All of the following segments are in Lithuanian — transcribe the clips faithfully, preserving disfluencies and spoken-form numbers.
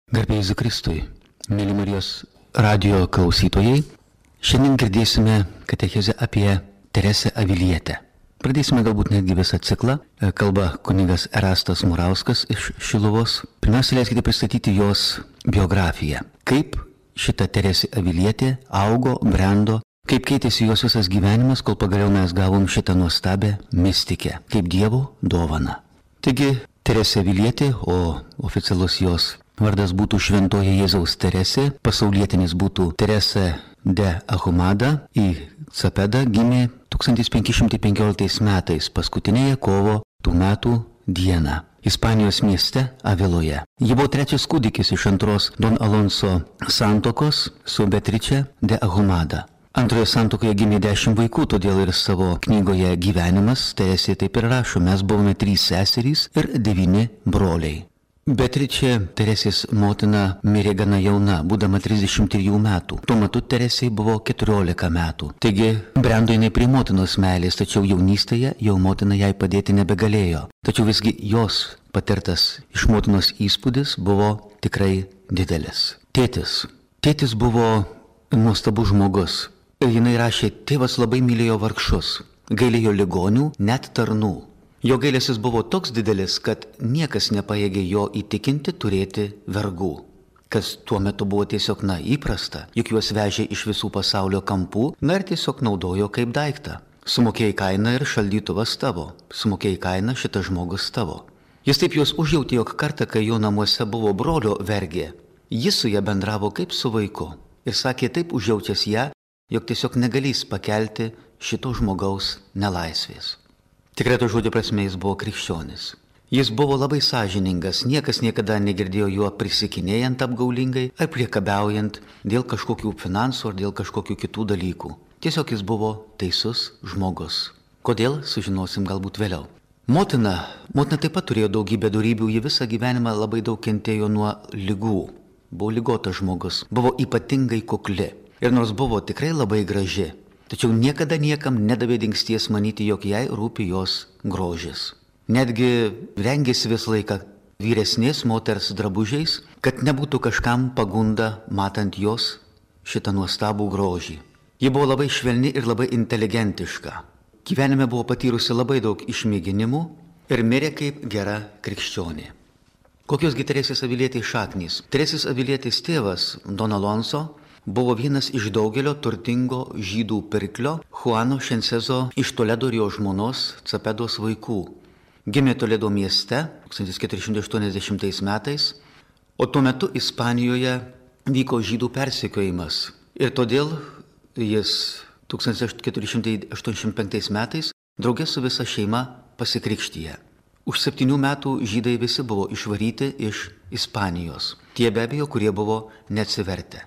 Garbė Jėzui Kristui, mėly Marijos radijo klausytojai, šiandien girdėsime katechezę apie Teresę Avilietę. Pradėsime galbūt netgi visą ciklą. Kalba kunigas Erastas Murauskas iš Šiluvos. Pirmiausia, leiskite pristatyti jos biografiją. Kaip šita Teresė Avilietė augo, brendo, kaip keitėsi jos visas gyvenimas, kol pagaliau mes gavom šitą nuostabę mistikę, kaip Dievo dovaną. Taigi, Teresė Avilietė, o oficialus jos vardas būtų Šventoji Jėzaus Teresė, pasaulietinis būtų Teresa de Ahumada, į Capedą gimė tūkstantis penki šimtai penkioliktais metais, paskutinėje kovo tų metų dieną, Ispanijos mieste Aviloje. Ji buvo trečias kūdikis iš antros Don Alonso santokos su Beatrice de Ahumada. Antroje santokoje gimė dešimt vaikų, todėl ir savo knygoje Gyvenimas Teresė taip ir rašo: mes buvome trys seserys ir devyni broliai. Beatrice, Teresės motina, mirė gana jauna, būdama trisdešimt trijų metų. Tuo metu Teresei buvo keturiolika metų. Taigi, brendo jinai prie motinos meilės, tačiau jaunystėje jau motina jai padėti nebegalėjo. Tačiau visgi jos patirtas iš motinos įspūdis buvo tikrai didelis. Tėtis. Tėtis buvo nuostabus žmogus. Ir jinai rašė: tėvas labai mylėjo vargšus, gailėjo ligonių, net tarnų. Jo gailestis buvo toks didelis, kad niekas nepajėgė jo įtikinti turėti vergų, kas tuo metu buvo tiesiog na įprasta, juk juos vežė iš visų pasaulio kampų, na ir tiesiog naudojo kaip daiktą. Sumokėjai kainą ir šaldytuvas tavo, sumokėjai kainą šitas žmogus tavo. Jis taip juos užjautė, jog kartą, kai jo namuose buvo brolio vergė, jis su ja bendravo kaip su vaiku ir sakė taip užjaučias ją, jog tiesiog negalės pakelti šito žmogaus nelaisvės. Tikrai to žodžio prasme jis buvo krikščionis. Jis buvo labai sąžiningas, niekas niekada negirdėjo juo prisikinėjant apgaulingai ar priekabiaujant dėl kažkokių finansų ar dėl kažkokių kitų dalykų. Tiesiog jis buvo teisus žmogus. Kodėl, sužinosim galbūt vėliau. Motina, motina taip pat turėjo daugybę dorybių, ji visą gyvenimą labai daug kentėjo nuo ligų. Buvo ligotas žmogus, buvo ypatingai kukli ir nors buvo tikrai labai graži, tačiau niekada niekam nedavė dingsties manyti, jog jai rūpi jos grožis. Netgi rengėsi visą laiką vyresnės moters drabužiais, kad nebūtų kažkam pagunda matant jos šitą nuostabų grožį. Ji buvo labai švelni ir labai inteligentiška. Gyvenime buvo patyrusi labai daug išmėginimų ir mirė kaip gera krikščionė. Kokios gi Teresės Avilietės šaknys? Teresės Avilietės tėvas, Don Alonso, buvo vienas iš daugelio turtingo žydų pirklio Juano Šensezo iš Toledo ir jo žmonos Capedos vaikų. Gimė Toledo mieste tūkstantis keturi šimtai aštuoniasdešimtais metais, o tuo metu Ispanijoje vyko žydų persekiojimas. Ir todėl jis tūkstantis keturi šimtai aštuoniasdešimt penktais metais draugė su visa šeima pasikrikštijo. Už septynių metų žydai visi buvo išvaryti iš Ispanijos. Tie be abejo, kurie buvo neatsivertę.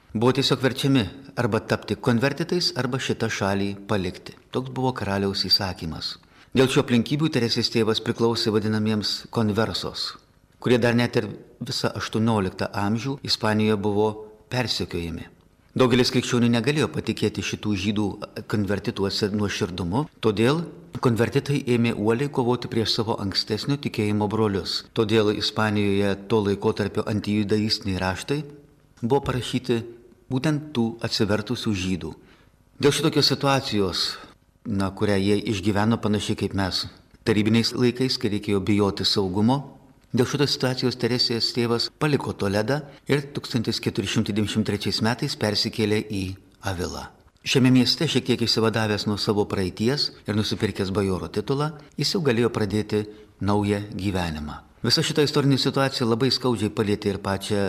Buvo tiesiog verčiami arba tapti konvertitais, arba šitą šalį palikti. Toks buvo karaliaus įsakymas. Dėl šio aplinkybių Teresės tėvas priklausė vadinamiems konversos, kurie dar net ir visą aštuonioliktą amžių Ispanijoje buvo persekiojami. Daugelis krikščionių negalėjo patikėti šitų žydų konvertituose nuoširdumu, todėl konvertitai ėmė uoliai kovoti prieš savo ankstesnio tikėjimo brolius. Todėl Ispanijoje to laikotarpio antijudaistiniai raštai buvo parašyti būtent tų atsivertusių žydų. Dėl šitokios situacijos, na, kurią jie išgyveno panašiai kaip mes tarybiniais laikais, kai reikėjo bijoti saugumo, dėl šitos situacijos Teresės tėvas paliko Toledą ir tūkstantis keturi šimtai devyniasdešimt trečiais metais persikėlė į Avilą. Šiame mieste, šiek tiek išsivadavęs nuo savo praeities ir nusipirkęs bajoro titulą, jis jau galėjo pradėti naują gyvenimą. Visa šita istorinė situacija labai skaudžiai palietė ir pačią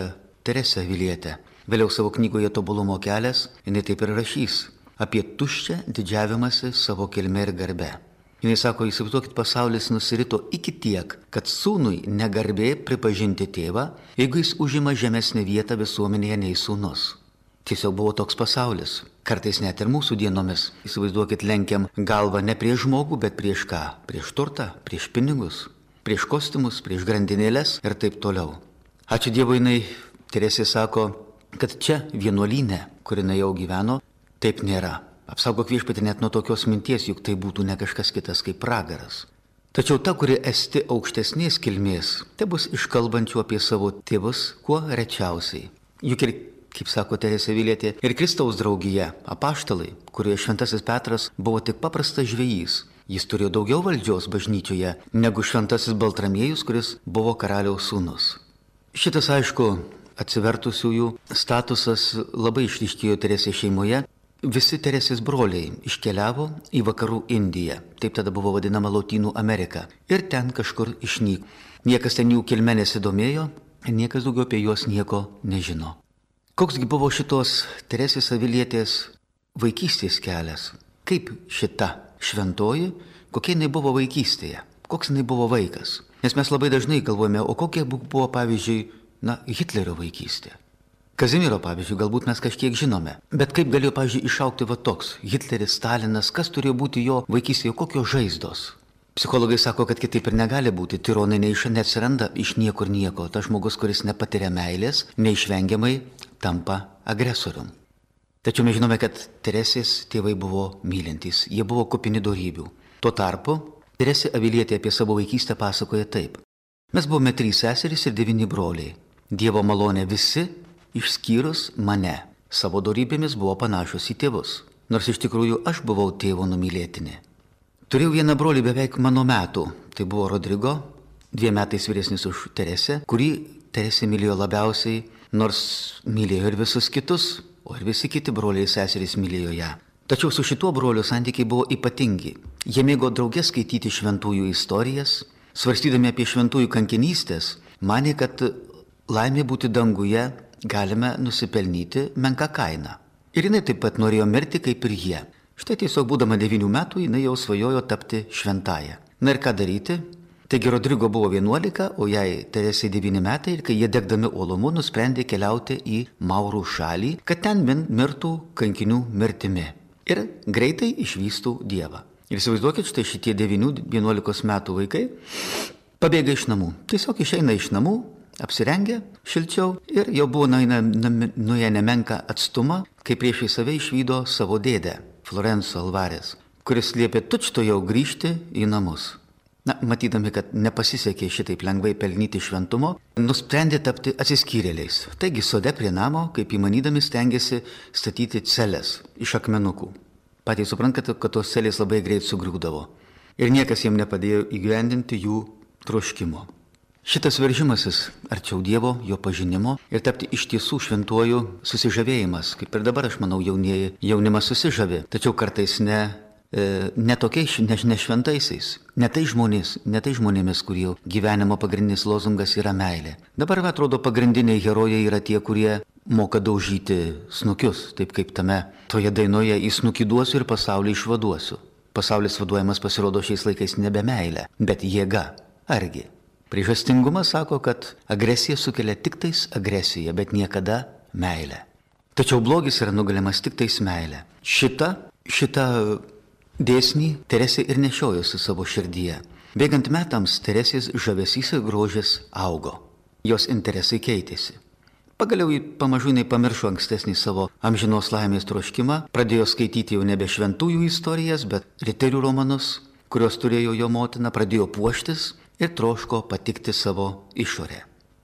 Teresę Avilietę. Vėliau savo knygoje Tobulumo kelias jinai taip ir rašys apie tuščią didžiavimąsi savo kilme ir garbe. Jinai sako: įsivaizduokit, pasaulis nusirito iki tiek, kad sūnui negarbė pripažinti tėvą, jeigu jis užima žemesnę vietą visuomenėje nei sūnus. Tiesiog buvo toks pasaulis. Kartais net ir mūsų dienomis, įsivaizduokit, lenkiam galvą ne prieš žmogų, bet prieš ką? Prieš turtą, prieš pinigus, prieš kostiumus, prieš grandinėlės ir taip toliau. Ačiū Dievui, jinai Teresė sako, kad čia vienuolyne, kur jinai jau gyveno, taip nėra. Apsaugok Viešpatie net nuo tokios minties, juk tai būtų ne kažkas kitas kaip pragaras. Tačiau ta, kuri esti aukštesnės kilmės, tai bus iškalbančių apie savo tėvus kuo rečiausiai. Juk ir, kaip sako Teresė Avilietė, ir Kristaus draugija, apaštalai, kurioje šventasis Petras buvo tik paprastas žvejys. Jis turėjo daugiau valdžios bažnyčioje negu šventasis Baltramiejus, kuris buvo karaliaus sūnus. Šitas, aišku, atsivertusiųjų statusas labai išryškėjo Teresės šeimoje. Visi Teresės broliai iškeliavo į vakarų Indiją, taip tada buvo vadinama Lotynų Amerika, ir ten kažkur išnyko. Niekas ten jų kilme nesidomėjo, ir niekas daugiau apie juos nieko nežino. Koksgi buvo šitos Teresės Avilietės vaikystės kelias? Kaip šita šventoji, kokia jinai buvo vaikystėje, koks jinai buvo vaikas? Nes mes labai dažnai galvojame, o kokia buvo, pavyzdžiui, na, Hitlerio vaikystė. Kazimiero, pavyzdžiui, galbūt mes kažkiek žinome. Bet kaip galėjo, pavyzdžiui, išaukti va toks Hitleris, Stalinas, kas turėjo būti jo vaikystėje, kokios žaizdos? Psichologai sako, kad kitaip ir negali būti. Tironai neatsiranda iš niekur nieko. Tas žmogus, kuris nepatiria meilės, neišvengiamai tampa agresorium. Tačiau mes žinome, kad Teresės tėvai buvo mylintys, jie buvo kupini dorybių. Tuo tarpu Teresė Avilietė apie savo vaikystę pasakoja taip. Mes buvome trys seserys ir devyni broliai. Dievo malonė visi, išskyrus mane. Savo dorybėmis buvo panašus į tėvus. Nors iš tikrųjų aš buvau tėvo numylėtinė. Turėjau vieną brolį beveik mano metų. Tai buvo Rodrigo, dviem metais vyresnis už Teresę, kurį Teresė mylėjo labiausiai, nors mylėjo ir visus kitus. O ir visi kiti broliai ir seserys mylėjo ją. Tačiau su šituo broliu santykiai buvo ypatingi. Jie mėgo drauge skaityti šventųjų istorijas, svarstydami apie šventųjų kankinystės, manė, kad laimė būti danguje galime nusipelnyti menką kainą. Ir jinai taip pat norėjo mirti kaip ir jie. Štai tiesiog būdama devynių metų jinai jau svajojo tapti šventąja. Na ir ką daryti? Taigi Rodrigo buvo vienuolika, o jai Teresė devyni metai ir kai jie degdami uolumu nusprendė keliauti į Maurų šalį, kad ten mirtų kankinių mirtimi ir greitai išvystų Dievą. Ir įsivaizduokit, štai šitie devynių vienuolikos metų vaikai pabėga iš namų. Tiesiog išeina iš namų, apsirengia šilčiau ir jau buvo nuėję nemenką atstumą, kai priešai save išvydo savo dėdę, Florenco Alvarės, kuris liepė tučtuojau grįžti į namus. Na, matydami, kad nepasisekė šitaip lengvai pelnyti šventumo, nusprendė tapti atsiskyrėliais. Taigi sode prie namo, kaip įmanydami, stengiasi statyti celes iš akmenukų. Patys suprantate, kad tos celės labai greit sugriūdavo. Ir niekas jiems nepadėjo įgyvendinti jų troškimo. Šitas veržimasis arčiau Dievo, jo pažinimo ir tapti iš tiesų šventuoju susižavėjimas, kaip ir dabar, aš manau, jaunieji jaunimas susižavė, tačiau kartais ne... ne tokiais, ne, ne šventaisiais, ne tai žmonės, ne tai žmonėmis, kurių gyvenimo pagrindinis lozungas yra meilė. Dabar, atrodo, pagrindiniai herojai yra tie, kurie moka daužyti snukius, taip kaip tame toje dainoje į snukį duosiu ir pasaulį išvaduosiu. Pasaulis vaduojamas pasirodo šiais laikais nebe meilė, bet jėga. Argi? Priežastingumas sako, kad agresija sukelia tik tais agresiją, bet niekada meilę. Tačiau blogis yra nugalimas tik tais meilė. Šita, šita dėsnį Teresė ir nešiojosi savo širdyje. Bėgant metams Teresės žavesys ir grožis augo. Jos interesai keitėsi. Pagaliau pamažu jinai pamiršo ankstesnį savo amžinos laimės troškimą, pradėjo skaityti jau nebe šventųjų istorijas, bet riterių romanus, kurios turėjo jo motina, pradėjo puoštis ir troško patikti savo išorę.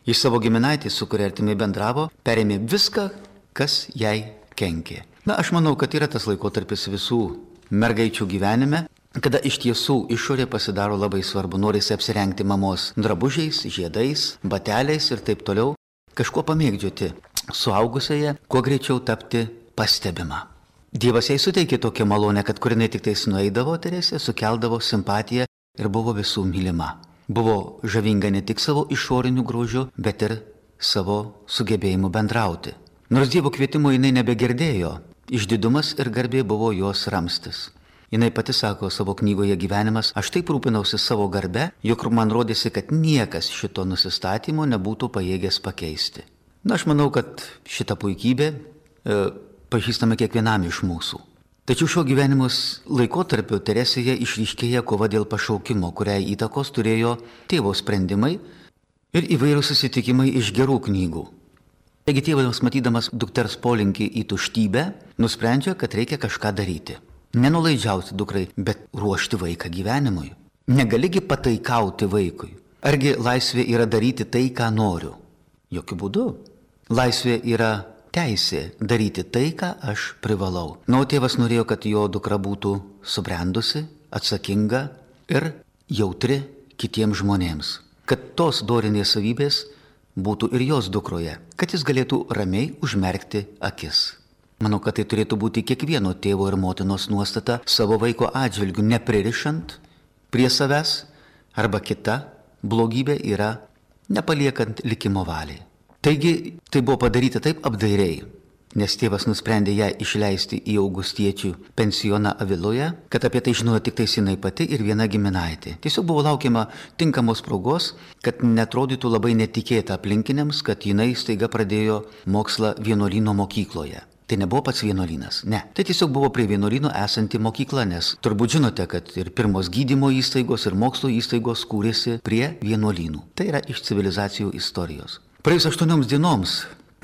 Iš savo giminaitį, su kuria artimai bendravo, perėmė viską, kas jai kenkė. Na, aš manau, kad yra tas laikotarpis visų mergaičių gyvenime, kada iš tiesų išorė pasidaro labai svarbu, norisi apsirengti mamos drabužiais, žiedais, bateliais ir taip toliau, kažkuo pamėgdžioti suaugusiąją, kuo greičiau tapti pastebima. Dievas jai suteikė tokią malonę, kad kur jinai tik tais nueidavo, Teresė sukeldavo simpatiją ir buvo visų mylima. Buvo žavinga ne tik savo išoriniu grožiu, bet ir savo sugebėjimu bendrauti. Nors Dievo kvietimo jinai nebegirdėjo, išdidumas ir garbė buvo jos ramstis. Jinai pati sako savo knygoje Gyvenimas, aš taip rūpinausi savo garbe, jog man rodėsi, kad niekas šito nusistatymo nebūtų pajėgęs pakeisti. Na, aš manau, kad šitą puikybę e, pažįstame kiekvienam iš mūsų. Tačiau šio gyvenimos laikotarpio Teresėje išryškėja kova dėl pašaukimo, kuriai įtakos turėjo tėvo sprendimai ir įvairūs susitikimai iš gerų knygų. Taigi tėvas, matydamas dukters polinkį į tuštybę, nusprendžia, kad reikia kažką daryti. Nenulaidžiauti dukrai, bet ruošti vaiką gyvenimui. Negaligi pataikauti vaikui. Argi laisvė yra daryti tai, ką noriu? Jokiu būdu. Laisvė yra teisė daryti tai, ką aš privalau. Na, o tėvas norėjo, kad jo dukra būtų subrendusi, atsakinga ir jautri kitiems žmonėms. Kad tos dorinės savybės būtų ir jos dukroje, kad jis galėtų ramiai užmerkti akis. Manau, kad tai turėtų būti kiekvieno tėvo ir motinos nuostata savo vaiko atžvilgių, nepririšant prie savęs, arba kita blogybė yra nepaliekant likimo valiai. Taigi tai buvo padaryta taip apdairiai, nes tėvas nusprendė ją išleisti į augustiečių pensioną Aviloje, kad apie tai žinojo tik tais jinai pati ir viena giminaitė. Tiesiog buvo laukiama tinkamos progos, kad netrodytų labai netikėta aplinkiniams, kad jinai staiga pradėjo mokslą vienuolyno mokykloje. Tai nebuvo pats vienuolynas, ne. Tai tiesiog buvo prie vienuolyno esanti mokykla, nes turbūt žinote, kad ir pirmos gydymo įstaigos ir mokslo įstaigos kūrėsi prie vienuolynų. Tai yra iš civilizacijų istorijos. Praėjus aštuonioms dienoms,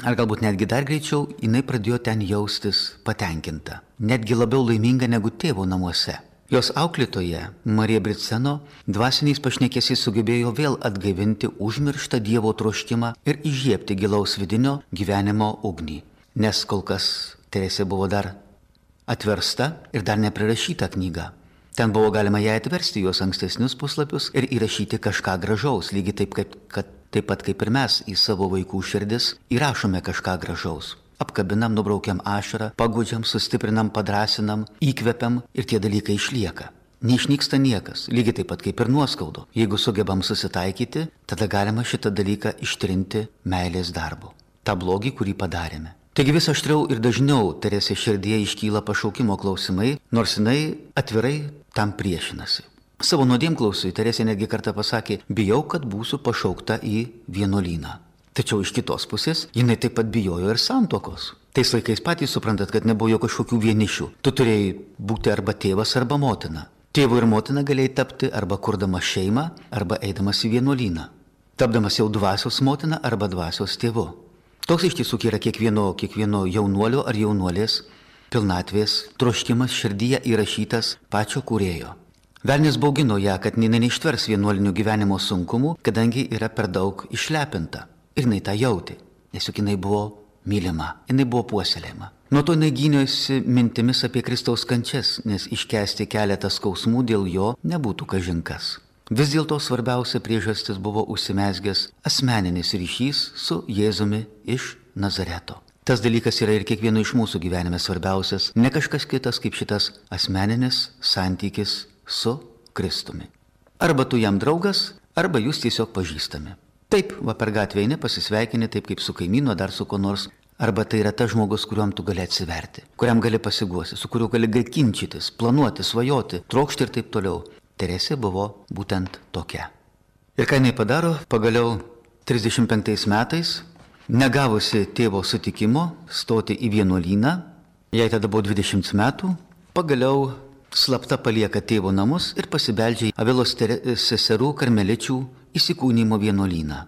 ar galbūt netgi dar greičiau, jinai pradėjo ten jaustis patenkinta, netgi labiau laiminga negu tėvo namuose. Jos auklėtoja, Marija Briceno, dvasiniais pašnekesiais sugebėjo vėl atgaivinti užmirštą Dievo troškimą ir įžiebti gilaus vidinio gyvenimo ugnį. Nes kol kas Teresė buvo dar atversta ir dar neprirašyta knyga. Ten buvo galima ją atversti jos ankstesnius puslapius ir įrašyti kažką gražaus, lygiai taip, kaip, kad, taip pat kaip ir mes į savo vaikų širdis įrašome kažką gražaus. Apkabinam, nubraukiam ašarą, pagudžiam, sustiprinam, padrasinam, įkvepiam ir tie dalykai išlieka. Neišnyksta niekas, lygiai taip pat kaip ir nuoskaudo. Jeigu sugebam susitaikyti, tada galima šitą dalyką ištrinti meilės darbu. Ta blogį, kurį padarėme. Taigi vis aštriau ir dažniau Teresės širdyje iškyla pašaukimo klausimai, nors jinai atvirai tam priešinasi. Savo nuodėmklausui Teresė netgi kartą pasakė, bijau, kad būsiu pašaukta į vienuolyną. Tačiau iš kitos pusės jinai taip pat bijojo ir santuokos. Tais laikais patys suprantat, kad nebuvo jo kažkokių vienišių. Tu turėjai būti arba tėvas, arba motina. Tėvu ir motina galėjai tapti arba kurdamas šeimą, arba eidamas į vienuolyną. Tapdamas jau dvasios motina arba dvasios tėvu. Toks iš tiesų yra kiekvieno, kiekvieno jaunuolio ar jaunuolės pilnatvės troškimas širdyje įrašytas pačio kūrėjo. Velnis baugino ją, kad jinai neištvers vienuolinių gyvenimo sunkumų, kadangi yra per daug išlepinta. Ir jinai tą jautė, nes juk jinai buvo mylima, jinai buvo puoselėjama. Nuo to jinai gyniosi mintimis apie Kristaus kančias, nes iškęsti keletą skausmų dėl jo nebūtų kažinkas. Vis dėlto svarbiausia priežastis buvo užsimezgęs asmeninis ryšys su Jėzumi iš Nazareto. Tas dalykas yra ir kiekvieno iš mūsų gyvenime svarbiausias, ne kažkas kitas kaip šitas asmeninis santykis su Kristumi. Arba tu jam draugas, arba jūs tiesiog pažįstami. Taip, va per gatvę eini, pasisveikini taip kaip su kaimynu, dar su ko nors. Arba tai yra tas žmogus, kuriuom tu gali atsiverti, kuriam gali pasiguosi, su kuriuo gali ginčytis, planuoti, svajoti, trokšti ir taip toliau. Teresė buvo būtent tokia. Ir ką jinai padaro, pagaliau trisdešimt penktais metais, negavusi tėvo sutikimo stoti į vienuolyną, jai tada buvo dvidešimt metų, pagaliau slapta palieka tėvo namus ir pasibeldžia į Avilos seserų karmeličių įsikūnymo vienuolyną.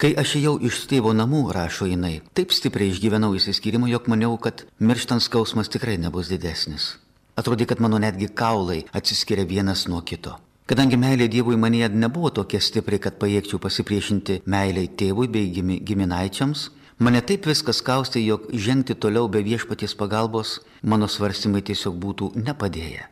Kai aš ėjau iš tėvo namų, rašo jinai, taip stipriai išgyvenau įsiskyrimo, jog maniau, kad mirštant skausmas tikrai nebus didesnis. Atrodė, kad mano netgi kaulai atsiskiria vienas nuo kito. Kadangi meilė Dievui manyje nebuvo tokia stipri, kad pajėgčiau pasipriešinti meiliai tėvui bei giminaičiams, mane taip viskas kaustė, jog žengti toliau be viešpaties pagalbos mano svarstymai tiesiog būtų nepadėję.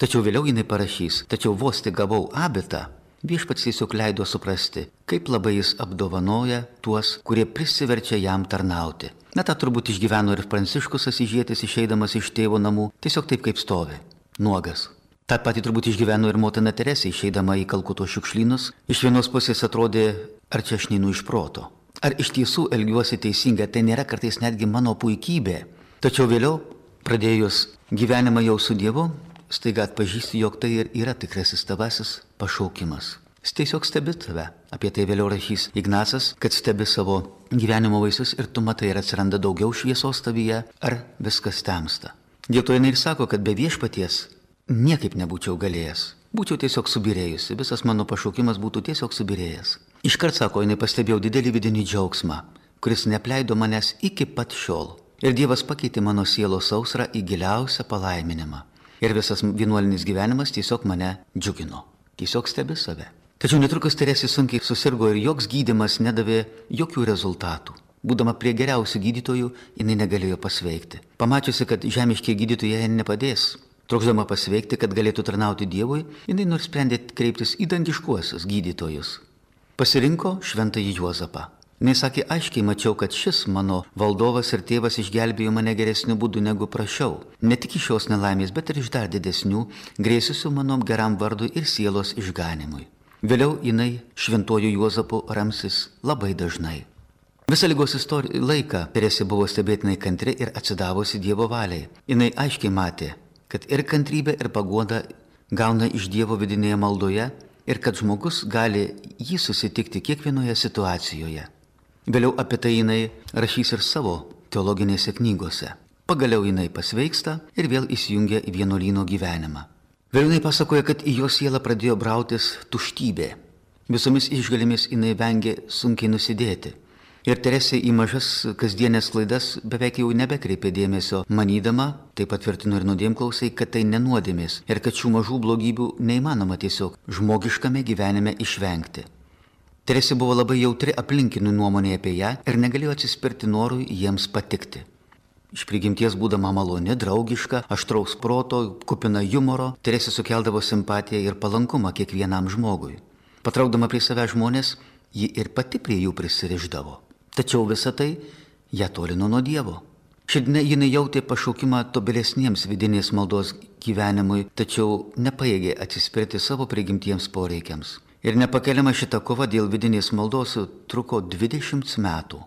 Tačiau vėliau jinai parašys, tačiau vos tik gavau abitą, viešpats tiesiog leido suprasti, kaip labai jis apdovanoja tuos, kurie prisiverčia jam tarnauti. Na, tą turbūt išgyveno ir Pranciškus Asyžietis išeidamas iš tėvo namų, tiesiog taip kaip stovi, nuogas. Ta pati turbūt išgyveno ir motina Teresė išeidama į Kalkuto šiukšlynus. Iš vienos pusės atrodė, ar čia aš neinu iš proto. Ar iš tiesų elgiuosi teisingai, tai nėra kartais netgi mano puikybė. Tačiau vėliau, pradėjus gyvenimą jau su Dievu, staiga atpažįsti, jog tai ir yra tikrasis tavasis pašaukimas. Jis tiesiog stebi tave. Apie tai vėliau rašys Ignacas, kad stebi savo gyvenimo vaisius ir tu matai, ar atsiranda daugiau šviesos tavyje, ar viskas temsta. Dėl to jinai ir sako, kad be viešpaties niekaip nebūčiau galėjęs. Būčiau tiesiog subirėjusi, visas mano pašaukimas būtų tiesiog subirėjęs. Iškart sako, jinai pastebėjau didelį vidinį džiaugsmą, kuris neapleido manęs iki pat šiol. Ir Dievas pakeitė mano sielos sausrą į giliausią palaiminimą. Ir visas vienuolinis gyvenimas tiesiog mane džiugino. Tiesiog stebi save. Tačiau netrukus Teresė sunkiai susirgo ir joks gydymas nedavė jokių rezultatų. Būdama prie geriausių gydytojų, jinai negalėjo pasveikti. Pamačiusi, kad žemiškie gydytojai jai nepadės, trokšdama pasveikti, kad galėtų tarnauti Dievui, jinai nusprendė kreiptis į dangiškuosius gydytojus. Pasirinko šventąjį Juozapą. Jis sakė, aiškiai mačiau, kad šis mano valdovas ir tėvas išgelbėjo mane geresniu būdu negu prašiau. Ne tik iš šios nelaimės, bet ir iš dar didesnių, grėsusių mano geram vardui ir sielos išganimui. Vėliau jinai šventuoju Juozapu ramsis labai dažnai. Visą ligos istoriją laiką Teresė buvo stebėtinai kantri ir atsidavusi Dievo valiai. Jinai aiškiai matė, kad ir kantrybė, ir paguoda gauna iš Dievo vidinėje maldoje ir kad žmogus gali jį susitikti kiekvienoje situacijoje. Vėliau apie tai jinai rašys ir savo teologinėse knygose. Pagaliau jinai pasveiksta ir vėl įsijungia į vienuolyno gyvenimą. Vėliau jinai pasakoja, kad į jos sielą pradėjo brautis tuštybė. Visomis išgalėmis jinai vengė sunkiai nusidėti. Ir Teresė į mažas kasdienės klaidas beveik jau nebekreipė dėmesio, manydama, tai patvirtino ir nuodėmklausai, kad tai nenuodėmės ir kad šių mažų blogybių neįmanoma tiesiog žmogiškame gyvenime išvengti. Teresė buvo labai jautri aplinkinių nuomonė apie ją ir negalėjo atsispirti norui jiems patikti. Iš prigimties būdama maloni, draugiška, aštraus proto, kupina humoro, Teresė sukeldavo simpatiją ir palankumą kiekvienam žmogui. Patraukdama prie savęs žmonės, ji ir pati prie jų prisirišdavo. Tačiau visa tai ją tolino nuo Dievo. Šiandien jinai jautė pašaukimą tobulesniems vidinės maldos gyvenimui, tačiau nepajėgė atsispirti savo prigimtiems poreikiams. Ir nepakeliama šita kova dėl vidinės maldos truko dvidešimt metų.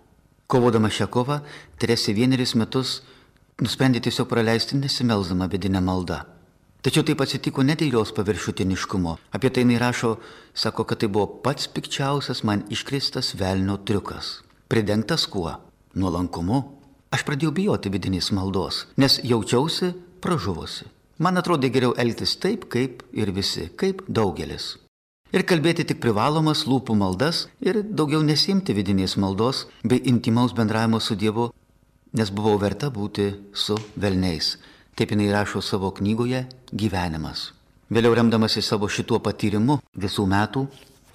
Kovodama šią kovą, Teresė vienerius metus nusprendė tiesiog praleisti nesimelsdama vidinę maldą. Tačiau taip atsitiko ne dėl jos paviršutiniškumo. Apie tai jinai rašo, sako, kad tai buvo pats pikčiausias man iškristas velnio triukas. Pridengtas kuo? Nuolankumu. Aš pradėjau bijoti vidinės maldos, nes jaučiausi pražuvusi. Man atrodė geriau elgtis taip, kaip ir visi, kaip daugelis. Ir kalbėti tik privalomas lūpų maldas ir daugiau nesiimti vidinės maldos bei intimaus bendravimo su Dievu, nes buvau verta būti su velniais. Taip jinai rašo savo knygoje Gyvenimas. Vėliau remdamasi savo šituo patyrimu visų metų,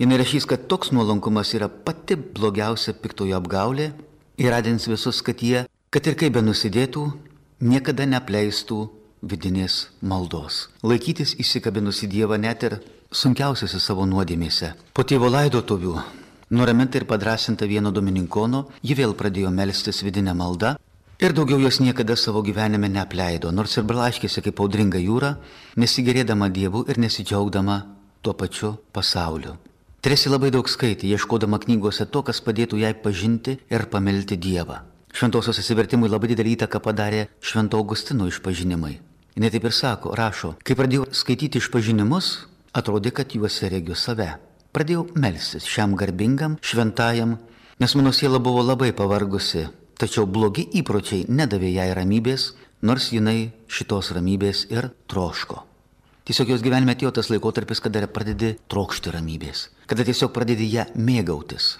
jinai rašys, kad toks nuolankumas yra pati blogiausia piktojo apgaulė ir radins visus, kad jie, kad ir kaip be nusidėtų, niekada neapleistų vidinės maldos. Laikytis įsikabinus į Dievą net ir sunkiausiose savo nuodėmėse. Po tėvo laidotuvių, nuraminta ir padrasinta vieno domininkono, ji vėl pradėjo melstis vidinę maldą ir daugiau jos niekada savo gyvenime neapleido, nors ir blaškėsi kaip audringa jūra, nesigerėdama Dievu ir nesidžiaugdama tuo pačiu pasauliu. Teresė labai daug skaitė, ieškodama knygose to, kas padėtų jai pažinti ir pamilti Dievą. Šventosios atsivertimui labai didelį įtaką padarė Švento Augustino išpažinimai. Jis taip ir sako, rašo, kai pradėjau skaityti išpažinimus, atrodė, kad juose regiu save. Pradėjau melstis šiam garbingam, šventajam, nes mano siela buvo labai pavargusi, tačiau blogi įpročiai nedavė jai ramybės, nors jinai šitos ramybės ir troško. Tiesiog jos gyvenime atėjo tas laikotarpis, kada pradedi trokšti ramybės, kada tiesiog pradedi ją mėgautis.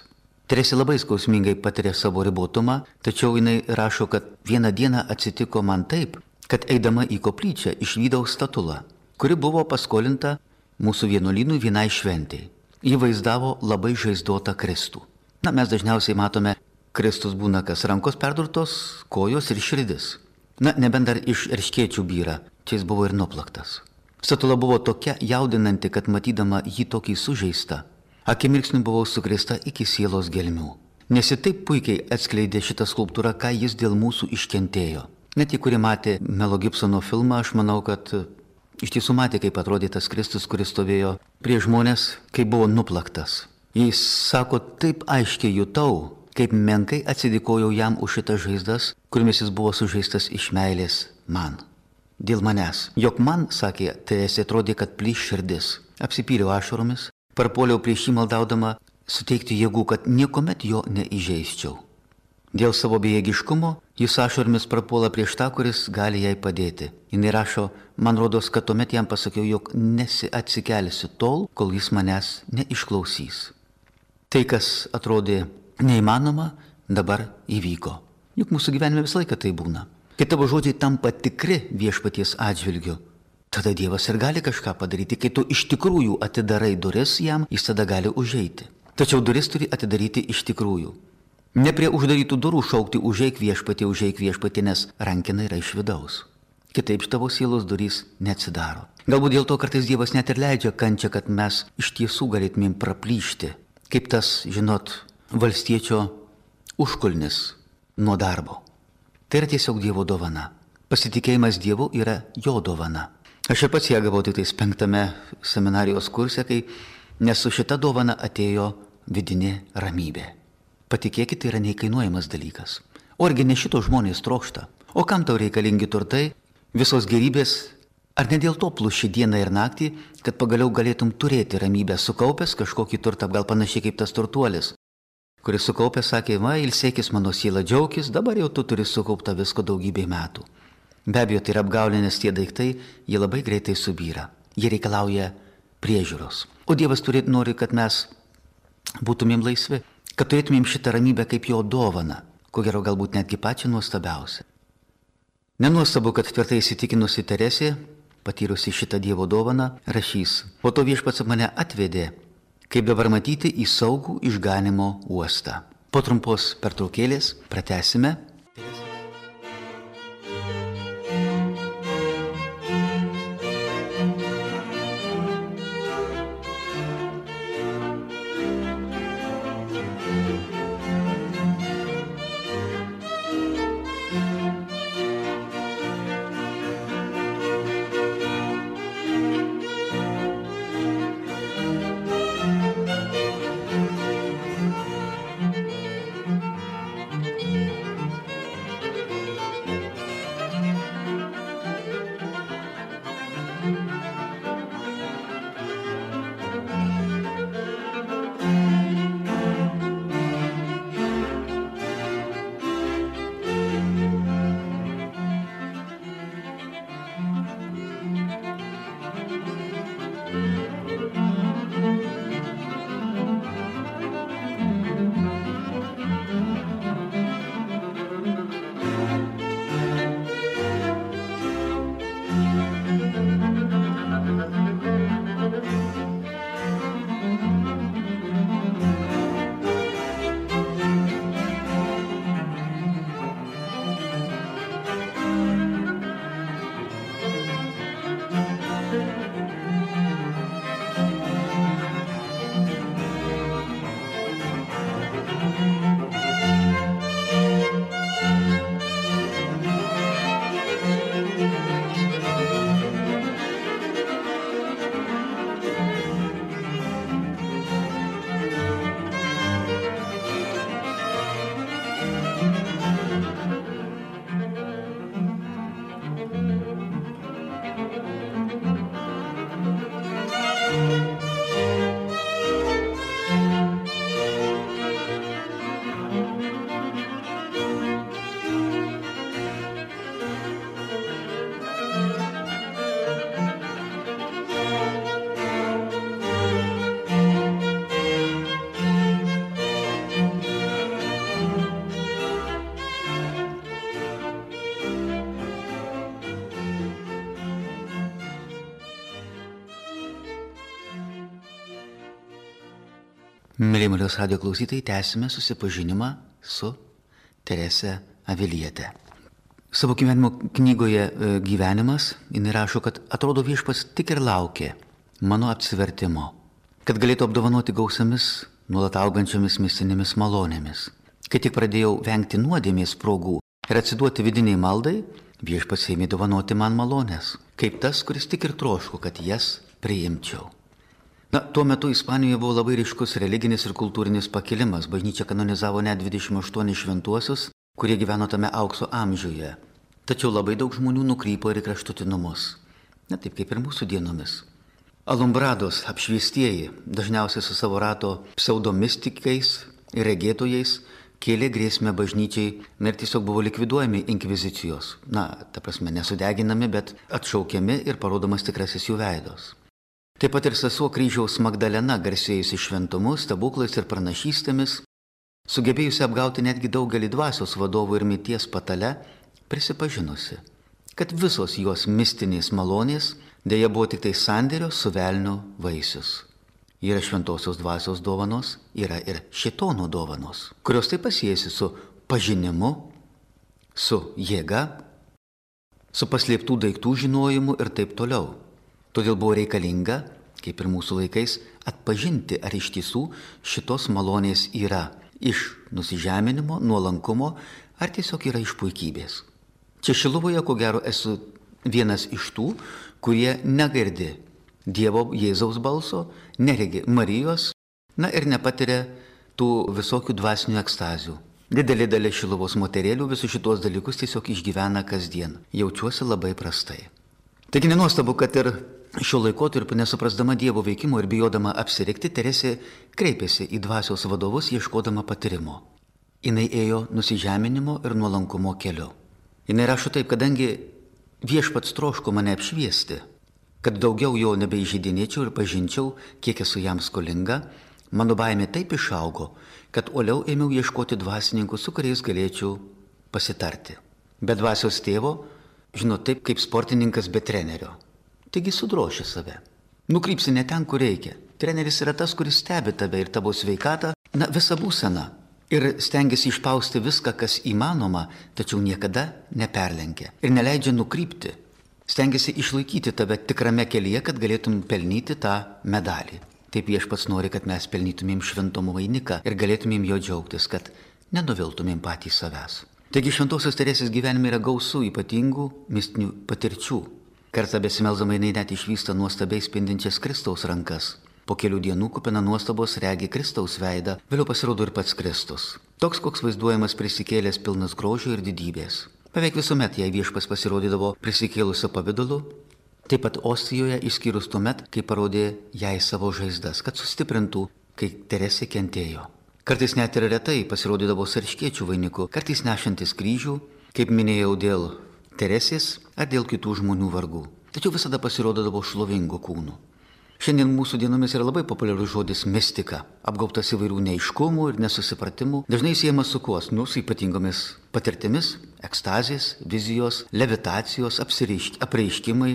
Teresė labai skausmingai patiria savo ribotumą, tačiau jinai rašo, kad vieną dieną atsitiko man taip, kad eidama į koplyčią išvydau statulą, kuri buvo paskolinta mūsų vienuolynui vienai šventei. Ji vaizdavo labai žaizdotą Kristų. Na, mes dažniausiai matome, Kristus būna kas rankos perdurtos, kojos ir širdis. Na, nebent dar iš erškėčių byra, čia jis buvo ir nuplaktas. Statula buvo tokia jaudinanti, kad matydama jį tokį sužeistą, akimirksniu buvau sukrėsta iki sielos gelmių. Nes ji taip puikiai atskleidė šitą skulptūrą, ką jis dėl mūsų iškentėjo. Net tie, kurie matė Melo Gibsono filmą, aš manau, kad iš tiesų matė, kaip atrodė tas Kristus, kuris stovėjo prie žmonės, kai buvo nuplaktas. Jis sako, taip aiškiai jutau, kaip menkai atsidėkojau jam už šitas žaizdas, kuriamis jis buvo sužeistas iš meilės man. Dėl manęs. Jok man, sakė, Teresė, atrodė, kad plyš širdis. Apsipyliau ašaromis, parpuoliau prieš jį maldaudama suteikti jėgų, kad niekuomet jo neįžeisčiau. Dėl savo bejėgiškumo jis ašaromis prapuola prieš tą, kuris gali jai padėti. Jis rašo, man rodos, kad tuomet jam pasakiau, jog nesiatsikelsiu tol, kol jis manęs neišklausys. Tai, kas atrodė neįmanoma, dabar įvyko. Juk mūsų gyvenime visą laiką tai būna. Kai tavo žodžiai tampa tikri viešpaties atžvilgiu, tada Dievas ir gali kažką padaryti. Kai tu iš tikrųjų atidarai duris jam, jis tada gali užeiti. Tačiau duris turi atidaryti iš tikrųjų. Ne prie uždarytų durų šaukti užeik viešpatį, užeik viešpatį, nes rankina yra iš vidaus. Kitaip tavo sielos durys neatsidaro. Galbūt dėl to kartais Dievas net ir leidžia kančią, kad mes iš tiesų galėtumėm praplyšti. Kaip tas, žinot, valstiečio užkulnis nuo darbo. Tai yra tiesiog Dievo dovana. Pasitikėjimas Dievu yra jo dovana. Aš ir pats ją gavau tik tais penktame seminarijos kurse, kai nes su šita dovana atėjo vidinė ramybė. Patikėkit, tai yra neįkainuojamas dalykas. O argi ne šito žmonės trokšta? O kam tau reikalingi turtai, visos gerybės? Ar ne dėl to pluši dieną ir naktį, kad pagaliau galėtum turėti ramybę, sukaupęs kažkokį turtą, gal panašiai kaip tas turtuolis, kuris sukaupęs sakė, va, ilsėkis mano siela, džiaukis, dabar jau tu turi sukauptą visko daugybė metų. Be abejo, tai yra apgaulė, nes tie daiktai, jie labai greitai subyra. Jie reikalauja priežiūros. O Dievas turi, nori, kad mes būtumėm laisvi, kad turėtumėm šitą ramybę kaip jo dovaną, ko gero galbūt netgi pačią nuostabiausią. Nenuostabu, kad tvirtai įsitikinusi Teresė, patyrusi šitą Dievo dovaną, rašys, po to viešpats mane atvedė, kaip dabar matyti, į saugų išganimo uostą. Po trumpos pertraukėlės pratęsime. Mėly Marijos radijo klausytojai, tęsime susipažinimą su Terese Aviliete. Savo gyvenimo knygoje Gyvenimas jinai rašo, kad atrodo viešpats tik ir laukė mano apsivertimo, kad galėtų apdovanoti gausiamis, nuolat augančiomis mistinėmis malonėmis. Kai tik pradėjau vengti nuodėmės progų ir atsiduoti vidiniai maldai, viešpats ėmė dovanoti man malonės, kaip tas, kuris tik ir troško, kad jas priimčiau. Na, tuo metu Ispanijoje buvo labai ryškus religinis ir kultūrinis pakilimas. Bažnyčia kanonizavo net dvidešimt aštuonis šventuosius, kurie gyveno tame aukso amžiuje. Tačiau labai daug žmonių nukrypo ir į kraštutinumus. Na, taip kaip ir mūsų dienomis. Alumbrados, apšviestieji, dažniausiai su savo rato pseudomistikais ir regėtojais, kėlė grėsmę bažnyčiai ir tiesiog buvo likviduojami inkvizicijos. Na, ta prasme, nesudeginami, bet atšaukiami ir parodomas tikrasis jų veidos. Taip pat ir sesuo Kryžiaus Magdalena, garsėjusi šventumu, stebuklais ir pranašystėmis, sugebėjusi apgauti netgi daugelį dvasios vadovų ir mirties patale, prisipažinusi, kad visos jos mistinės malonės Deja buvo tik tai sandėrio su velnio vaisius. Yra šventosios dvasios dovanos, yra ir šėtono dovanos, kurios taip pasijėsi su pažinimu, su jėga, su paslėptų daiktų žinojimu ir taip toliau. Todėl buvo reikalinga, kaip ir mūsų laikais, atpažinti, ar iš tiesų šitos malonės yra iš nusižeminimo, nuolankumo, ar tiesiog yra iš puikybės. Čia Šiluvoje, ko gero, esu vienas iš tų, kurie negirdi Dievo Jėzaus balso, neregi Marijos, na ir nepatiria tų visokių dvasinių ekstazių. Didelė dalis Šiluvos moterėlių visus šitos dalykus tiesiog išgyvena kasdien. Jaučiuosi labai prastai. Taigi nenuostabu, kad ir šiuo laikotarpiu, nesuprasdama Dievo veikimo ir bijodama apsirikti, Teresė kreipėsi į dvasios vadovus ieškodama patyrimo. Jinai ėjo nusižeminimo ir nuolankumo keliu. Jinai rašo taip, kadangi viešpats troško mane apšviesti, kad daugiau jo nebeižeidinėčiau ir pažinčiau, kiek esu jam skolinga, mano baimė taip išaugo, kad uoliau ėmiau ieškoti dvasininkų, su kuriais galėčiau pasitarti. Be dvasios tėvo, žinot, taip kaip sportininkas be trenerio. Taigi sudroši save. Nukrypsi ne ten, kur reikia. Treneris yra tas, kuris stebi tave ir tavo sveikatą, na visą būseną. Ir stengiasi išpausti viską, kas įmanoma, tačiau niekada neperlenkia. Ir neleidžia nukrypti. Stengiasi išlaikyti tave tikrame kelyje, kad galėtum pelnyti tą medalį. Taip viešpats nori, kad mes pelnytumėm šventumo vainiką ir galėtumėm jo džiaugtis, kad nenuviltumėm patys savęs. Taigi šventosios Teresės gyvenime yra gausų ypatingų mistinių patirčių. Kartą besimelzdama jinai net išvysta nuostabiai spindinčias Kristaus rankas. Po kelių dienų kupina nuostabos regi Kristaus veidą, vėliau pasirodo ir pats Kristus. Toks, koks vaizduojamas prisikėlęs pilnas grožio ir didybės. Beveik visuomet jai viešpas pasirodydavo prisikėlusio pavidalu, taip pat Ostijoje išskyrus tuomet, kai parodė jai savo žaizdas, kad sustiprintų, kai Teresė kentėjo. Kartais net ir retai pasirodydavo su erškėčių vainiku, kartais nešantis kryžių, kaip minėjau, dėl Teresės ar dėl kitų žmonių vargų. Tačiau visada pasirodydavo šlovingu kūnu. Šiandien mūsų dienomis yra labai populiarus žodis mistika, apgaubtas įvairių neaiškumų ir nesusipratimų, dažnai siejamas su kuo, nu, su ypatingomis patirtimis, ekstazės, vizijos, levitacijos, apreiškimai.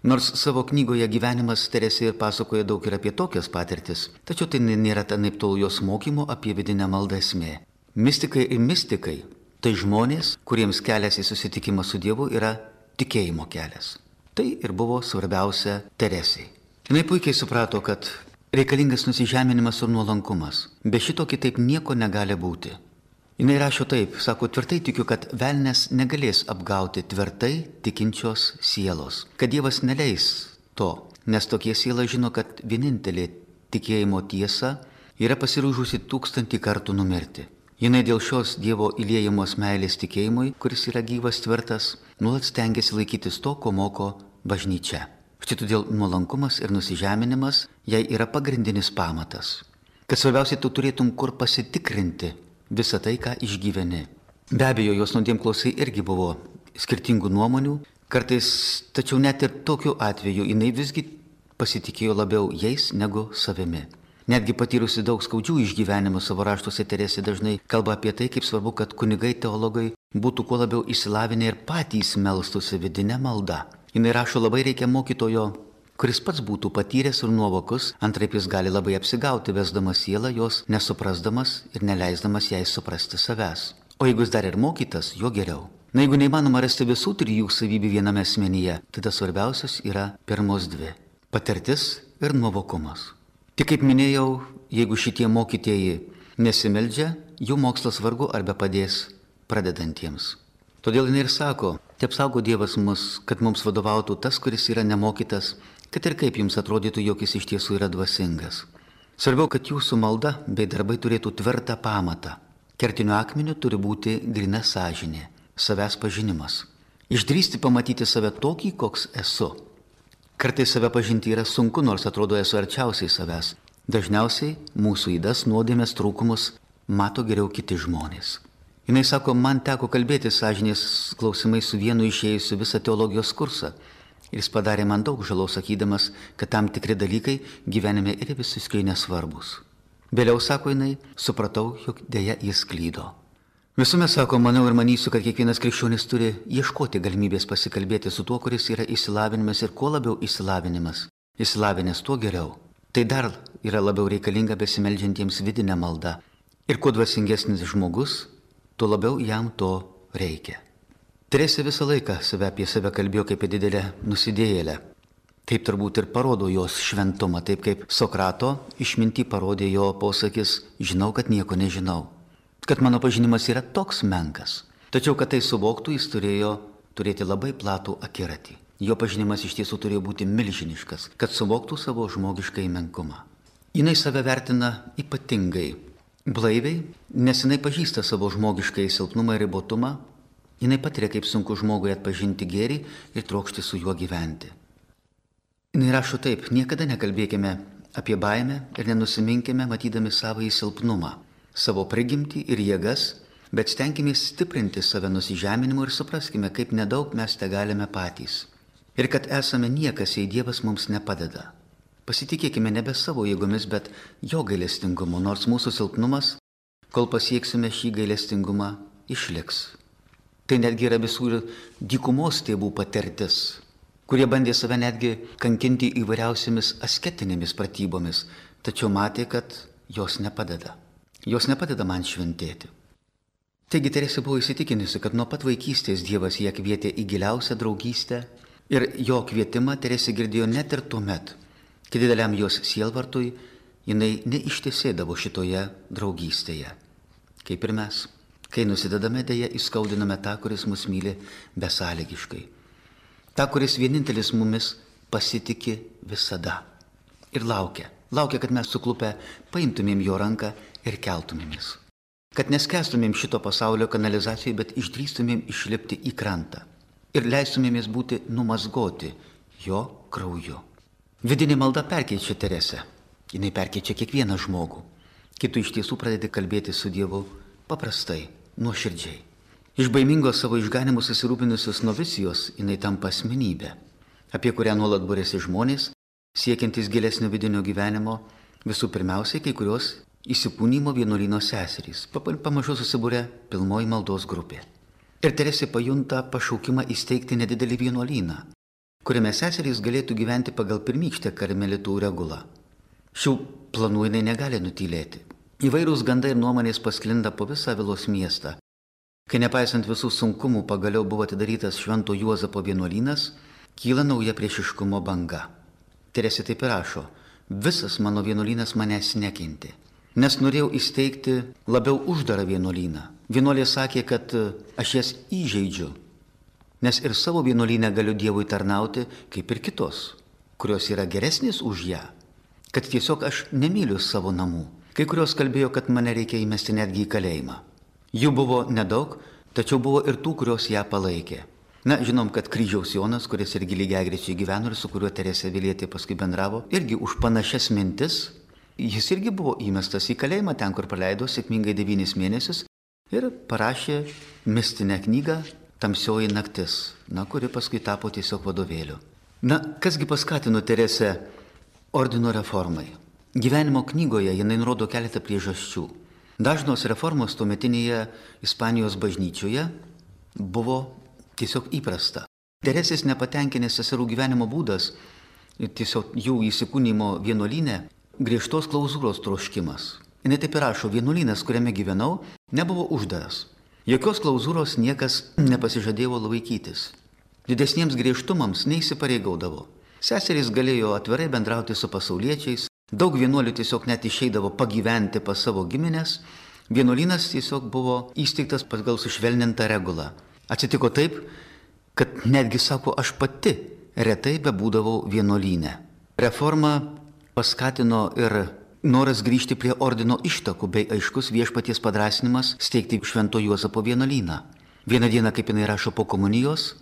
Nors savo knygoje Gyvenimas Teresė ir pasakoja daug ir apie tokias patirtis, tačiau tai nėra anaiptol jos mokymo apie vidinę maldą esmė. Mistikai ir mistikai tai žmonės, kuriems kelias į susitikimą su Dievu yra tikėjimo kelias. Tai ir buvo svarbiausia Teresei. Jinai puikiai suprato, kad reikalingas nusižeminimas ir nuolankumas. Be šito kitaip nieko negali būti. Jinai rašo taip, sako, tvirtai tikiu, kad velnias negalės apgauti tvirtai tikinčios sielos. Kad Dievas neleis to, nes tokie siela žino, kad vienintelė tikėjimo tiesa yra pasiryžusi tūkstantį kartų numirti. Jinai dėl šios Dievo įliejamos meilės tikėjimui, kuris yra gyvas tvirtas, nuolat stengiasi laikytis to, ko moko bažnyčia. Štai todėl nuolankumas ir nusižeminimas jai yra pagrindinis pamatas. Kad svarbiausiai tu turėtum kur pasitikrinti visą tai, ką išgyveni. Be abejo, jos nuodėmklausai irgi buvo skirtingų nuomonių, kartais, tačiau net ir tokiu atveju jinai visgi pasitikėjo labiau jais negu savimi. Netgi patyrusi daug skaudžių išgyvenimų savo raštuose, Teresė dažnai kalba apie tai, kaip svarbu, kad kunigai teologai būtų kuo labiau išsilavinę ir patys melstųsi vidinę maldą. Jinai rašo, labai reikia mokytojo, kuris pats būtų patyręs ir nuovokus, antraip jis gali labai apsigauti, vesdamas sielą jos, nesuprasdamas ir neleisdamas jai suprasti savęs. O jeigu jis dar ir mokytas, jo geriau. Na, jeigu neįmanoma rasti visų trijų savybių viename asmenyje, tada svarbiausias yra pirmos dvi – patirtis ir nuovokumas. Tik kaip minėjau, jeigu šitie mokytieji nesimeldžia, jų mokslas vargu arba padės pradedantiems. Todėl jinai ir sako, te apsaugo Dievas mus, kad mums vadovautų tas, kuris yra nemokytas, kad ir kaip jums atrodytų, jog jis iš tiesų yra dvasingas. Svarbiau, kad jūsų malda bei darbai turėtų tvirtą pamatą. Kertiniu akmeniu turi būti gryna sąžinė, savęs pažinimas. Išdrįsti pamatyti save tokį, koks esu. Kartais save pažinti yra sunku, nors atrodo esu arčiausiai savęs. Dažniausiai mūsų įdas, nuodėmės, trūkumus mato geriau kiti žmonės. Jinai sako, man teko kalbėti sąžinės klausimai su vienu išėjusiu visą teologijos kursą. Ir jis padarė man daug žalos, sakydamas, kad tam tikri dalykai gyvenime yra visiškai nesvarbus. Vėliau, sako jinai, supratau, jog dėja jis klydo. Visuomet sako, manau ir manysiu, kad kiekvienas krikščionis turi ieškoti galimybės pasikalbėti su tuo, kuris yra išsilavinimas ir kuo labiau išsilavinimas. Išsilavinęs tuo geriau. Tai dar yra labiau reikalinga besimeldžiantiems vidinę maldą. Ir kuo dvasingesnis žmogus, tuo labiau jam to reikia. Teresė visą laiką save apie save kalbėjo kaip didelę nusidėjėlę. Taip turbūt ir parodo jos šventumą, taip kaip Sokrato išmintį parodė jo posakis, žinau, kad nieko nežinau. Kad mano pažinimas yra toks menkas. Tačiau, kad tai suvoktų, jis turėjo turėti labai platų akiratį. Jo pažinimas iš tiesų turėjo būti milžiniškas, kad suvoktų savo žmogiškai menkumą. Jinai save vertina ypatingai blaiviai, nes jinai pažįsta savo žmogiškai silpnumą ir ribotumą. Jinai patiria, kaip sunku žmogui atpažinti gėrį ir trokšti su juo gyventi. Jinai rašo taip, niekada nekalbėkime apie baimę ir nenusiminkime matydami savo silpnumą, savo prigimtį ir jėgas, bet stenkime stiprinti save nusižeminimu ir supraskime, kaip nedaug mes te galime patys. Ir kad esame niekas, jei Dievas mums nepadeda. Pasitikėkime nebe savo jėgomis, bet jo gailestingumu, nors mūsų silpnumas, kol pasieksime šį gailestingumą, išliks. Tai netgi yra visų dykumos tėvų patirtis, kurie bandė save netgi kankinti įvairiausiamis asketinėmis pratybomis, tačiau matė, kad jos nepadeda. Jos nepadeda man šventėti. Taigi Teresė buvo įsitikinusi, kad nuo pat vaikystės Dievas ją kvietė į giliausią draugystę ir jo kvietimą Teresė girdėjo net ir tuomet, kai dideliam jos sielvartui jinai neištesėdavo šitoje draugystėje. Kaip ir mes, kai nusidedame dėja, įskaudiname tą, kuris mus myli besąlygiškai. Ta, kuris vienintelis mumis pasitiki visada ir laukia. Laukia, kad mes suklupę paimtumėm jo ranką ir keltumėmės. Kad neskęstumėm šito pasaulio kanalizacijoje, bet išdrįstumėm išlipti į krantą. Ir leistumėmės būti numazgoti jo krauju. Vidinė malda perkeičia Teresę. Jinai perkeičia kiekvieną žmogų. Kai tu iš tiesų pradedi kalbėti su Dievu paprastai, nuoširdžiai. Iš baimingos savo išganimu susirūpinusios novicijos jinai tampa asmenybė, apie kurią nuolat būrėsi žmonės, siekiantis gilesnio vidinio gyvenimo, visų pirmiausiai kai kurios įsikūnymo vienuolyno seserys. Pamažu susibūrė pilnoji maldos grupė. Ir Teresė pajunta pašaukimą įsteigti nedidelį vienuolyną, kuriame seserys galėtų gyventi pagal pirmykštę karmelitų regulą. Šių planų jinai negali nutylėti. Įvairūs gandai ir nuomonės pasklinda po visą Vilos miestą. Kai nepaisant visų sunkumų pagaliau buvo atidarytas Švento Juozapo vienuolynas, kyla nauja priešiškumo banga. Teresė taip ir rašo, visas mano vienuolynas manęs nekentė, nes norėjau įsteigti labiau uždarą vienuolyną. Vienuolė sakė, kad aš jas įžeidžiu, nes ir savo vienuolyne galiu Dievui tarnauti kaip ir kitos, kurios yra geresnės už ją, kad tiesiog aš nemyliu savo namų. Kai kurios kalbėjo, kad mane reikia įmesti netgi į kalėjimą. Jų buvo nedaug, tačiau buvo ir tų, kurios ją palaikė. Na, žinom, kad Kryžiaus Jonas, kuris irgi lygiagrečiai gyveno ir su kuriuo Teresė Avilietė paskui bendravo, irgi už panašias mintis, jis irgi buvo įmestas į kalėjimą, ten, kur praleido sėkmingai devynis mėnesius ir parašė mistinę knygą Tamsioji naktis, na, kuri paskui tapo tiesiog vadovėliu. Na, kasgi paskatino Teresę ordino reformai? Gyvenimo knygoje jinai nurodo keletą priežasčių. Dažnos reformos tuometinėje Ispanijos bažnyčioje buvo tiesiog įprasta. Teresės nepatenkinęs seserų gyvenimo būdas, tiesiog jų įsikūnymo vienuolyne, griežtos klauzūros troškimas. Jis taip ir rašo, vienuolynas, kuriame gyvenau, nebuvo uždaras. Jokios klauzūros niekas nepasižadėjo laikytis. Didesniems griežtumams neįsipareigaudavo. Seserys galėjo atvirai bendrauti su pasauliečiais. Daug vienuolių tiesiog net išeidavo pagyventi pas savo giminės. Vienuolynas tiesiog buvo įsteigtas pagal sušvelnintą regulą. Atsitiko taip, kad netgi, sako, aš pati retai bebūdavau vienuolyne. Reforma paskatino ir noras grįžti prie ordino ištakų bei aiškus viešpaties padrąsinimas steigti Švento Juozapo vienuolyną. Vieną dieną, kaip jinai rašo po komunijos,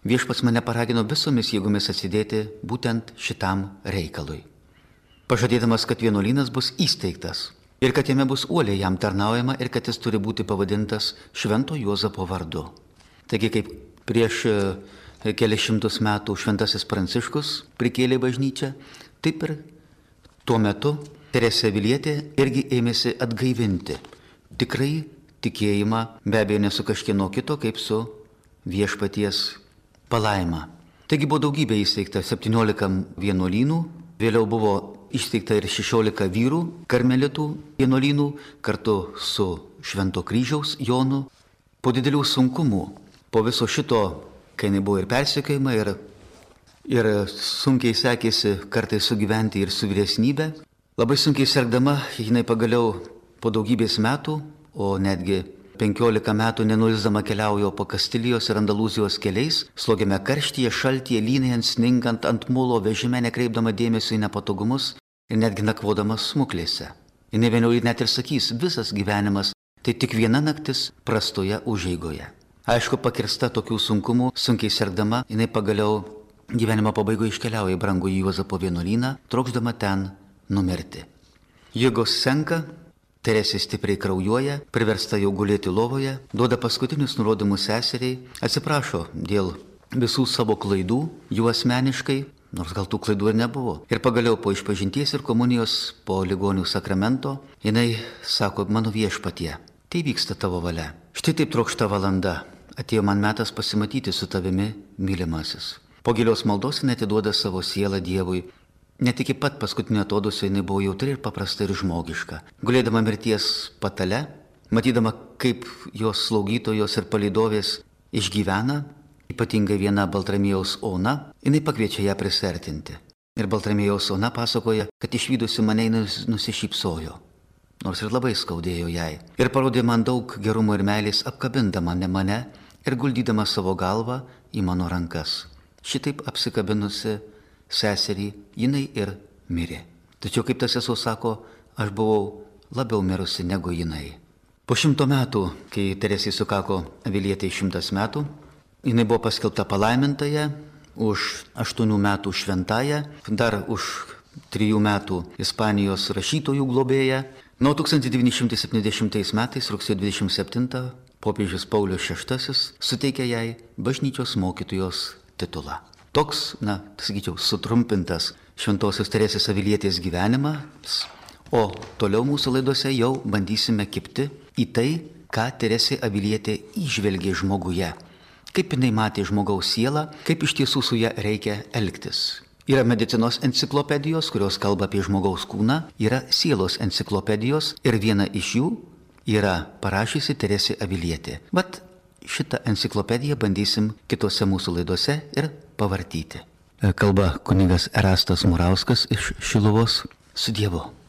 viešpats mane paragino visomis jėgomis atsidėti būtent šitam reikalui. Pažadėdamas, kad vienuolynas bus įsteigtas ir kad jame bus uoliai jam tarnaujama ir kad jis turi būti pavadintas Švento Juozapo vardu. Taigi, kaip prieš kelias šimtus metų šventasis Pranciškus prikėlė bažnyčią, taip ir tuo metu Teresė Avilietė irgi ėmėsi atgaivinti tikrai tikėjimą, be abejo, ne su kažkieno kito, kaip su viešpaties palaima. Taigi buvo daugybė įsteigta septyniolika vienuolynų, vėliau buvo įsteigta ir šešiolika vyrų karmelitų vienuolynų kartu su Švento kryžiaus Jonu. Po didelių sunkumų, po viso šito, kai jinai buvo ir persekiojama, ir, ir sunkiai sekėsi kartais sugyventi ir su vyresnybe, labai sunkiai sergdama, jinai pagaliau po daugybės metų, o netgi penkiolika metų nenuilsdama keliaujo po Kastilijos ir Andalūzijos keliais, slogiame karštyje, šaltyje, lynėjant, sningant ant mulo vežime, nekreipdama dėmesio į nepatogumus ir netgi nakvodama smuklėse. Jis vėliau net ir sakys, visas gyvenimas tai tik viena naktis prastoje užeigoje. Aišku, pakirsta tokių sunkumų, sunkiai sergdama, jinai pagaliau gyvenimo pabaigoje iškeliauja į brangų Juozapo vienuolyną, trokšdama ten numirti. Jėgos senka, Teresė stipriai kraujuoja, priversta jau gulėti lovoje, duoda paskutinius nurodymus seseriai, atsiprašo dėl visų savo klaidų, jų asmeniškai, nors gal tų klaidų ir nebuvo. Ir pagaliau po išpažinties ir komunijos, po ligonių sakramento, jinai sako, mano viešpatie, tai vyksta tavo valia. Štai taip trokšta valanda, atėjo man metas pasimatyti su tavimi, mylimasis. Po gilios maldos jinai atiduoda savo sielą Dievui. Net iki pat paskutinio atodusio jinai buvo jautri ir paprasta ir žmogiška. Gulėdama mirties patale, matydama, kaip jos slaugytojos ir palydovės išgyvena, ypatingai viena Baltramiejaus Ona, jinai pakviečia ją prisertinti. Ir Baltramiejaus Ona pasakoja, kad išvydusi mane nusišypsojo, nors ir labai skaudėjo jai. Ir parodė man daug gerumo ir meilės, apkabindama ne mane ir guldydama savo galvą į mano rankas. Šitaip apsikabinusi seserį, jinai ir mirė. Tačiau, kaip tas sesuo sako, aš buvau labiau mirusi negu jinai. Po šimto metų, kai Teresei sukako Avilietei šimtas metų, jinai buvo paskelbta palaimintąja, už aštuonių metų šventąja, dar už trijų metų Ispanijos rašytojų globėja. Nuo tūkstantis devyni šimtai septyniasdešimtais metais, rugsėjo dvidešimt septintą, popiežius Paulius šeštasis suteikė jai bažnyčios mokytojos titulą. Toks, na, sakyčiau, sutrumpintas Šventosios Teresės Avilietės gyvenimas, o toliau mūsų laidose jau bandysime kibti į tai, ką Teresė Avilietė įžvelgė žmoguje, kaip jinai matė žmogaus sielą, kaip iš tiesų su ja reikia elgtis. Yra medicinos enciklopedijos, kurios kalba apie žmogaus kūną, yra sielos enciklopedijos ir viena iš jų yra parašysi Teresė Avilietė. Vat šitą enciklopediją bandysim kitose mūsų laidose ir pavartyti. Kalba kunigas Erastas Murauskas iš Šiluvos. Su Dievu.